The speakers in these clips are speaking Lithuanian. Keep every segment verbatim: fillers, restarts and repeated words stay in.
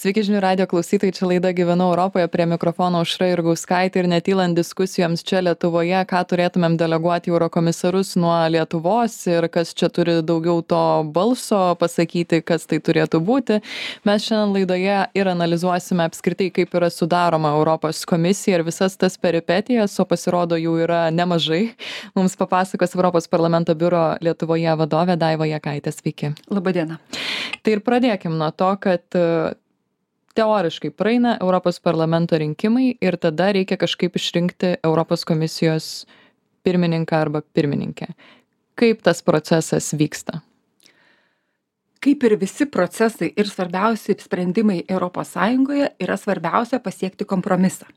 Sveiki žinių radio klausytojai, čia laida Gyvenu Europoje, prie mikrofono Aušra Jurgauskaitė ir netylant diskusijoms čia Lietuvoje, ką turėtumėm deleguoti į eurokomisarus nuo Lietuvos ir kas čia turi daugiau to balso pasakyti, kas tai turėtų būti. Mes šiandien laidoje ir analizuosime apskritai, kaip yra sudaroma Europos komisija ir visas tas peripetijas, o pasirodo jų yra nemažai. Mums papasakos Europos parlamento biuro Lietuvoje vadovė Daiva Jakaitė. Sveiki. Labadiena. Tai ir pradėkim nuo to, kad teoriškai praeina Europos parlamento rinkimai ir tada reikia kažkaip išrinkti Europos komisijos pirmininką arba pirmininkę. Kaip tas procesas vyksta? Kaip ir visi procesai ir svarbiausi sprendimai Europos Sąjungoje yra svarbiausia pasiekti kompromisą.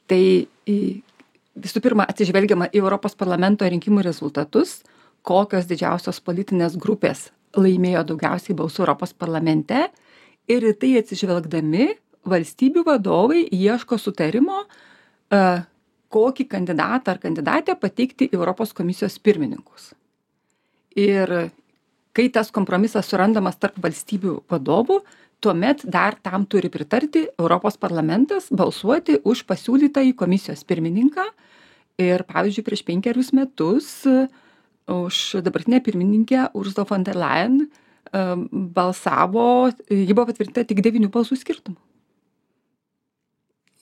Tai visų pirma atsižvelgiama į Europos parlamento rinkimų rezultatus, kokios didžiausios politinės grupės laimėjo daugiausiai balsų Europos parlamente. Ir į tai atsižvelgdami valstybių vadovai ieško sutarimo, kokį kandidatą ar kandidatę pateikti į Europos komisijos pirmininkus. Ir kai tas kompromisas surandamas tarp valstybių vadovų, tuomet dar tam turi pritarti Europos parlamentas balsuoti už pasiūlytą į komisijos pirmininką. Ir pavyzdžiui, prieš penkerius metus už dabartinę pirmininkę Ursula von der Leyen balsavo, ji buvo patvirtinta tik devynių balsų skirtumu.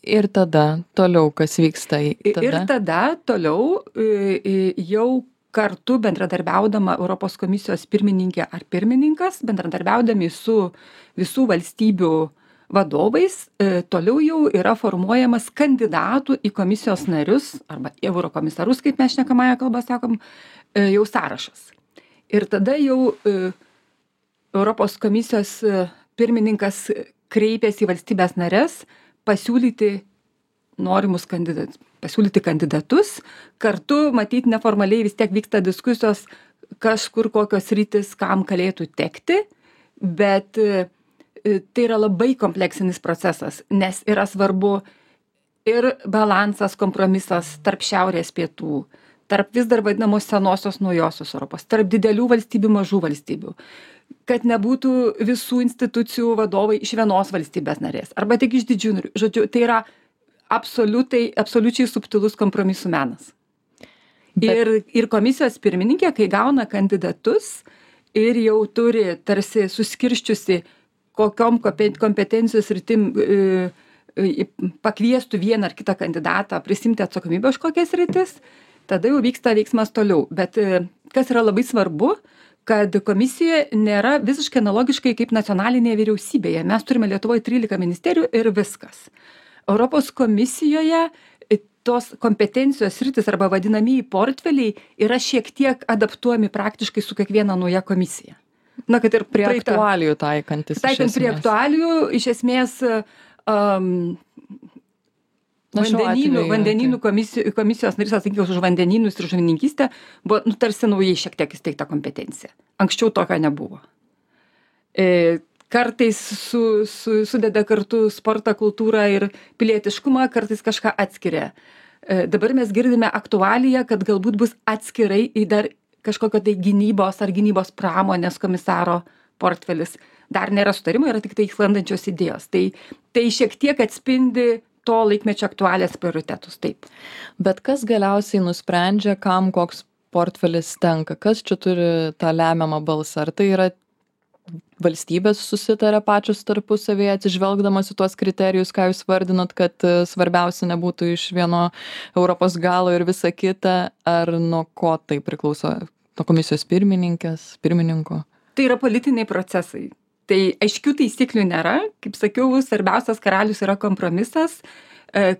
Ir tada toliau, kas vyksta? Tada? Ir tada toliau jau kartu bendradarbiaudama Europos komisijos pirmininkė ar pirmininkas, bendradarbiaudami su visų valstybių vadovais, toliau jau yra formuojamas kandidatų į komisijos narius arba eurokomisarus, kaip mes šnekamąją kalbą sakom, jau sąrašas. Ir tada jau Europos komisijos pirmininkas kreipėsi į valstybės narės pasiūlyti norimus kandidatus, pasiūlyti kandidatus. Kartu, matyt, neformaliai vis tiek vyksta diskusijos, kažkur kokios rytis kam galėtų tekti, bet tai yra labai kompleksinis procesas, nes yra svarbu ir balansas, kompromisas tarp šiaurės pietų, tarp vis dar vadinamos senosios naujosios Europos, tarp didelių valstybių, mažų valstybių. Kad nebūtų visų institucijų vadovai iš vienos valstybės narės, arba tik iš didžių narių. Žodžiu, tai yra absoliutai, absoliučiai subtilus kompromisų menas. Bet... Ir, ir komisijos pirmininkė, kai gauna kandidatus ir jau turi tarsi suskirščiusi, kokiom kompetencijos rytim e, e, pakviestų vieną ar kitą kandidatą prisimti atsakomybę už kokias rytis, tada jau vyksta veiksmas toliau. Bet e, kas yra labai svarbu, kad komisijoje nėra visiškai analogiškai kaip nacionalinėje vyriausybėje. Mes turime Lietuvoje trylika ministerijų ir viskas. Europos komisijoje tos kompetencijos sritis arba vadinamieji portfeliai yra šiek tiek adaptuojami praktiškai su kiekviena nauja komisija. Na, kad ir prie praeitą, aktualijų taikantis. Taikant prie aktualijų, iš esmės um, vandenynų, vandenynų komisijos, komisijos narys atsakingas už vandenynus ir žuvininkystę buvo nu, tarsi naujai šiek tiek įsteigta kompetencija. Anksčiau tokio nebuvo. E, kartais su, su, sudeda kartu sportą, kultūrą ir pilietiškumą, kartais kažką atskiria. E, dabar mes girdime aktualiją, kad galbūt bus atskirai į dar kažkokio tai gynybos ar gynybos pramonės komisaro portfelis. Dar nėra sutarimo, yra tik tai sklandančios idėjos. Tai, tai šiek tiek atspindi to laikmečio aktualės prioritetus, taip. Bet kas galiausiai nusprendžia, kam koks portfelis tenka? Kas čia turi tą lemiamą balsą? Ar tai yra valstybės susitaria pačios tarpusavėje, atsižvelgdamas į tuos kriterijus, ką jūs vardinot, kad svarbiausia nebūtų iš vieno Europos galo ir visa kita, ar nuo ko tai priklauso? Nuo komisijos pirmininkės, pirmininko? Tai yra politiniai procesai. Tai aiškių taisyklių nėra. Kaip sakiau, svarbiausias karalius yra kompromisas,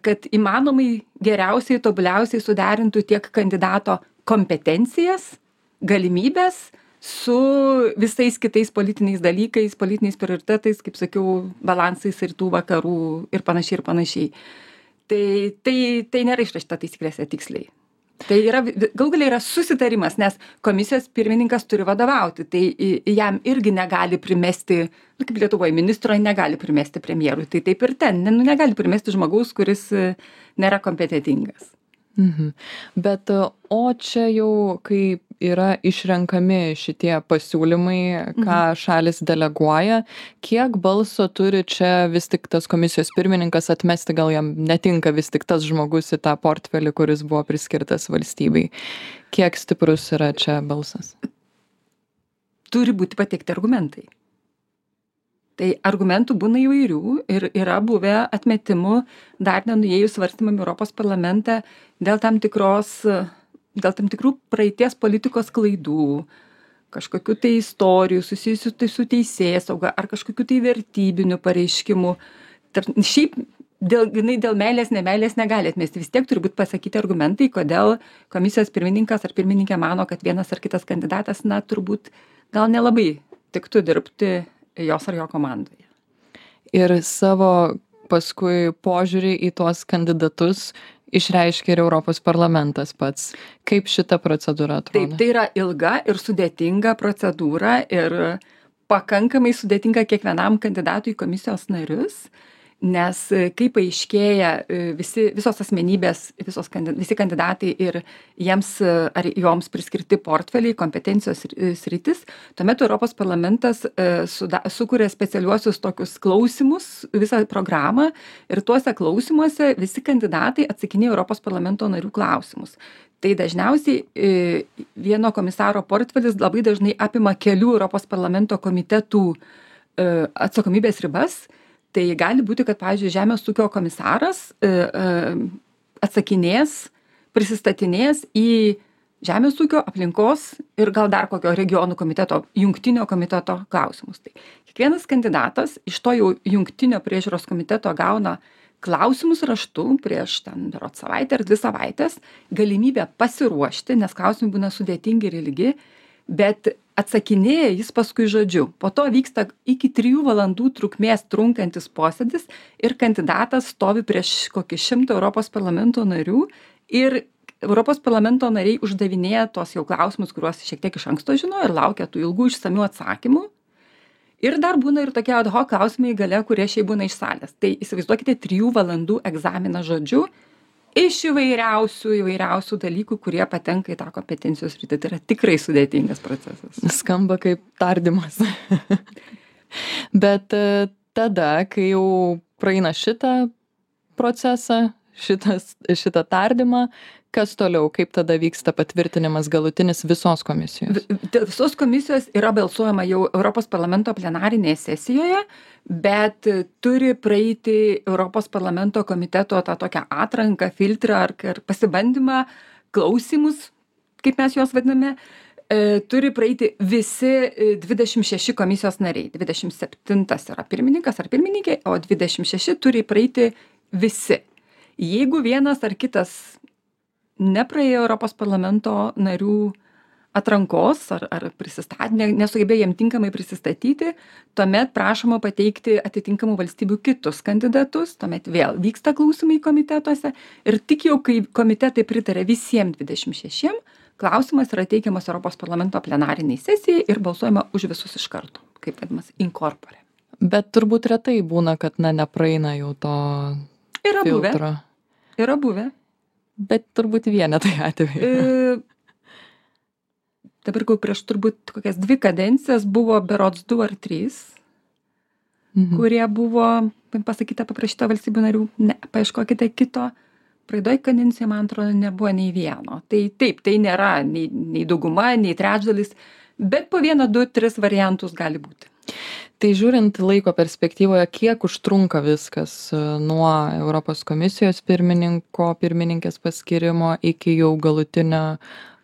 kad įmanomai geriausiai, tobuliausiai suderintų tiek kandidato kompetencijas, galimybės su visais kitais politiniais dalykais, politiniais prioritetais, kaip sakiau, balansais ir tų vakarų ir panašiai ir panašiai. Tai, tai, tai nėra išrašyta taisyklėse tiksliai. Tai yra, gal galiai yra susitarimas, nes komisijos pirmininkas turi vadovauti, tai jam irgi negali primesti, nu, kaip Lietuvoje ministro negali primesti premjerui, tai taip ir ten, nu, negali primesti žmogaus, kuris nėra kompetentingas. Mhm. Bet o čia jau, kai yra išrenkami šitie pasiūlymai, ką šalis deleguoja, kiek balso turi čia vis tik tas komisijos pirmininkas atmesti, gal jam netinka vis tik tas žmogus į tą portfelį, kuris buvo priskirtas valstybei. Kiek stiprus yra čia balsas? Turi būti pateikti argumentai. Tai argumentų būna įvairių ir yra buvę atmetimų dar nenuėjus svarstymam Europos parlamente dėl tam tikros, dėl tam tikrų praeities politikos klaidų, kažkokių tai istorijų susijusių tai su teisėsauga ar kažkokių tai vertybinių pareiškimų. Šiaip dėl, dėl meilės, nemeilės negali atmesti. Vis tiek turi būti pasakyti argumentai, kodėl komisijos pirmininkas ar pirmininkė mano, kad vienas ar kitas kandidatas, na, turbūt gal nelabai tiktų dirbti jos ar jo komandoje. Ir savo paskui požiūrį į tuos kandidatus išreiškia ir Europos parlamentas pats. Kaip šita procedūra atrodo? Taip, tai yra ilga ir sudėtinga procedūra ir pakankamai sudėtinga kiekvienam kandidatui į komisijos narius, nes kai paaiškėja visi, visos asmenybės, visos, visi kandidatai ir jiems ar joms priskirti portfeliai, kompetencijos sritis, tuomet Europos parlamentas suda, sukuria specialiuosius tokius klausimus, visą programą ir tuose klausimuose visi kandidatai atsakinėja Europos parlamento narių klausimus. Tai dažniausiai vieno komisaro portfelis labai dažnai apima kelių Europos parlamento komitetų atsakomybės ribas. Tai gali būti, kad, pavyzdžiui, Žemės ūkio komisaras e, e, atsakinės, prisistatinės į Žemės ūkio, aplinkos ir gal dar kokio regionų komiteto, jungtinio komiteto klausimus. Tai kiekvienas kandidatas iš to jau jungtinio priežiūros komiteto gauna klausimus raštu prieš ten berods savaitę ar dvi savaitės, galimybę pasiruošti, nes klausimai būna sudėtingi ir ilgi, bet atsakinėja jis paskui žodžiu. Po to vyksta iki trijų valandų trukmės trunkantis posėdis ir kandidatas stovi prieš kokį šimtą Europos parlamento narių ir Europos parlamento nariai uždavinėja tos jau klausimus, kuriuos šiek tiek iš anksto žino ir laukia tų ilgų išsamių atsakymų. Ir dar būna ir tokie ad hoc klausimai gale, kurie šiaip būna iš salės. Tai įsivaizduokite trijų valandų egzaminą žodžiu iš įvairiausių, įvairiausių dalykų, kurie patenka į tą kompetencijos sritį. Tai yra tikrai sudėtingas procesas. Skamba kaip tardymas. Bet tada, kai jau praeina šitą procesą, šitas, šitą tardymą, kas toliau, kaip tada vyksta patvirtinimas galutinis visos komisijos? Visos komisijos yra balsuojama jau Europos parlamento plenarinėje sesijoje, bet turi praeiti Europos parlamento komiteto tą tokią atranką, filtrą ar, ar pasibandymą, klausimus, kaip mes juos vadiname, e, turi praeiti visi dvidešimt šeši komisijos nariai. dvidešimt septintas yra pirmininkas ar pirmininkė, o dvidešimt šeši turi praeiti visi. Jeigu vienas ar kitas nepraėjo Europos parlamento narių atrankos ar, ar prisistatė, nesugebėjo jam tinkamai prisistatyti, tuomet prašoma pateikti atitinkamų valstybių kitus kandidatus, tuomet vėl vyksta klausimai komitetuose ir tik jau, kai komitetai pritarė visiems dvidešimt šešiem, klausimas yra teikiamas Europos parlamento plenariniai sesijai ir balsuojama už visus iš karto, kaip vadinamas incorpore. Bet turbūt retai būna, kad na, nepraeina jau to yra filtro. Buvę. Yra buvę. Bet turbūt vienetai atveju. E, dabar gal prieš turbūt kokias dvi kadencijas buvo berods du ar trys, mhm. kurie buvo, pasakyta, paprašyta valstybių narių, ne, paieškokite kito. Praeidoj kadencijoje, man atrodo, nebuvo nei vieno. Tai taip, tai nėra nei, nei dauguma, nei trečdalis, bet po vieną, du, tris variantus gali būti. Tai žiūrint laiko perspektyvoje, kiek užtrunka viskas nuo Europos komisijos pirmininko, pirmininkės paskirimo iki jau galutinio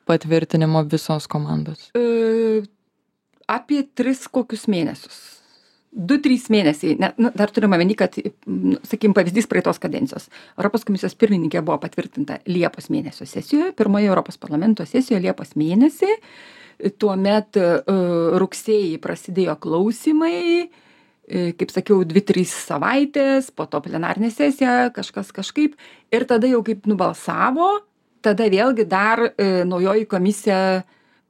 patvirtinimo visos komandos? E, apie tris kokius mėnesius. Du, trys mėnesiai. Ne, nu, dar turime omeny, kad, sakykim, pavyzdys praeitos kadencijos. Europos komisijos pirmininkė buvo patvirtinta Liepos mėnesio sesijoje, pirmoje Europos parlamento sesijoje Liepos mėnesį. Tuomet rugsėjį prasidėjo klausimai, kaip sakiau, dvi, trys savaitės, po to plenarinė sesija, kažkas kažkaip. Ir tada jau kaip nubalsavo, tada vėlgi dar naujoji komisija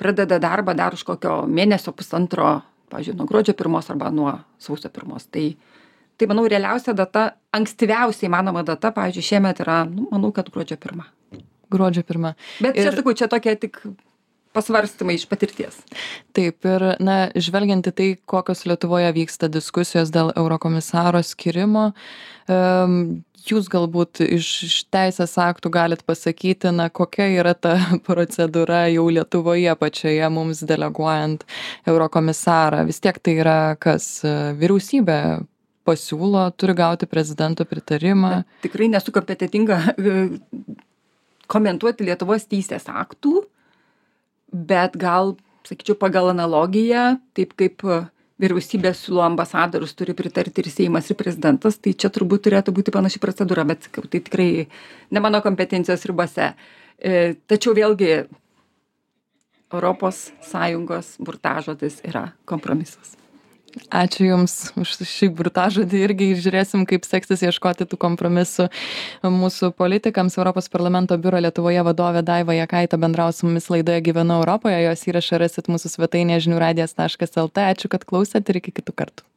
pradeda darbą dar už kokio mėnesio pusantro, pavyzdžiui, nuo gruodžio pirmos arba nuo sausio pirmos. Tai, tai manau, realiausia data, ankstyviausiai manoma data, pavyzdžiui, šiemet yra, nu, manau, kad gruodžio pirma. Gruodžio pirma. Bet čia, ir... sakau, čia tokia tik pasvarstymai iš patirties. Taip, ir na, žvelgiant į tai, kokios Lietuvoje vyksta diskusijos dėl eurokomisaro skirimo, um, jūs galbūt iš, iš teisės aktų galit pasakyti, na, kokia yra ta procedūra jau Lietuvoje pačioje mums deleguojant eurokomisarą. Vis tiek tai yra kas vyriausybė pasiūlo, turi gauti prezidento pritarimą. Na, tikrai nesu kompetentinga komentuoti Lietuvos teisės aktų, bet gal, sakyčiau, pagal analogiją, taip kaip vyriausybė siūlo ambasadorius, turi pritarti ir Seimas, ir prezidentas, tai čia turbūt turėtų būti panaši procedūra, bet tai tikrai ne mano kompetencijos ribose. Tačiau vėlgi Europos Sąjungos burtažodis yra kompromisas. Ačiū Jums už šį burtažodį, irgi žiūrėsim, kaip seksis ieškoti tų kompromisų mūsų politikams. Europos parlamento biuro Lietuvoje vadovė Daiva Jakaitė bendravo su mumis laidoje Gyvenu Europoje, jos įrašą rasit mūsų svetainėje žinių radijas taškas lt. Ačiū, kad klausėt ir iki kitų kartų.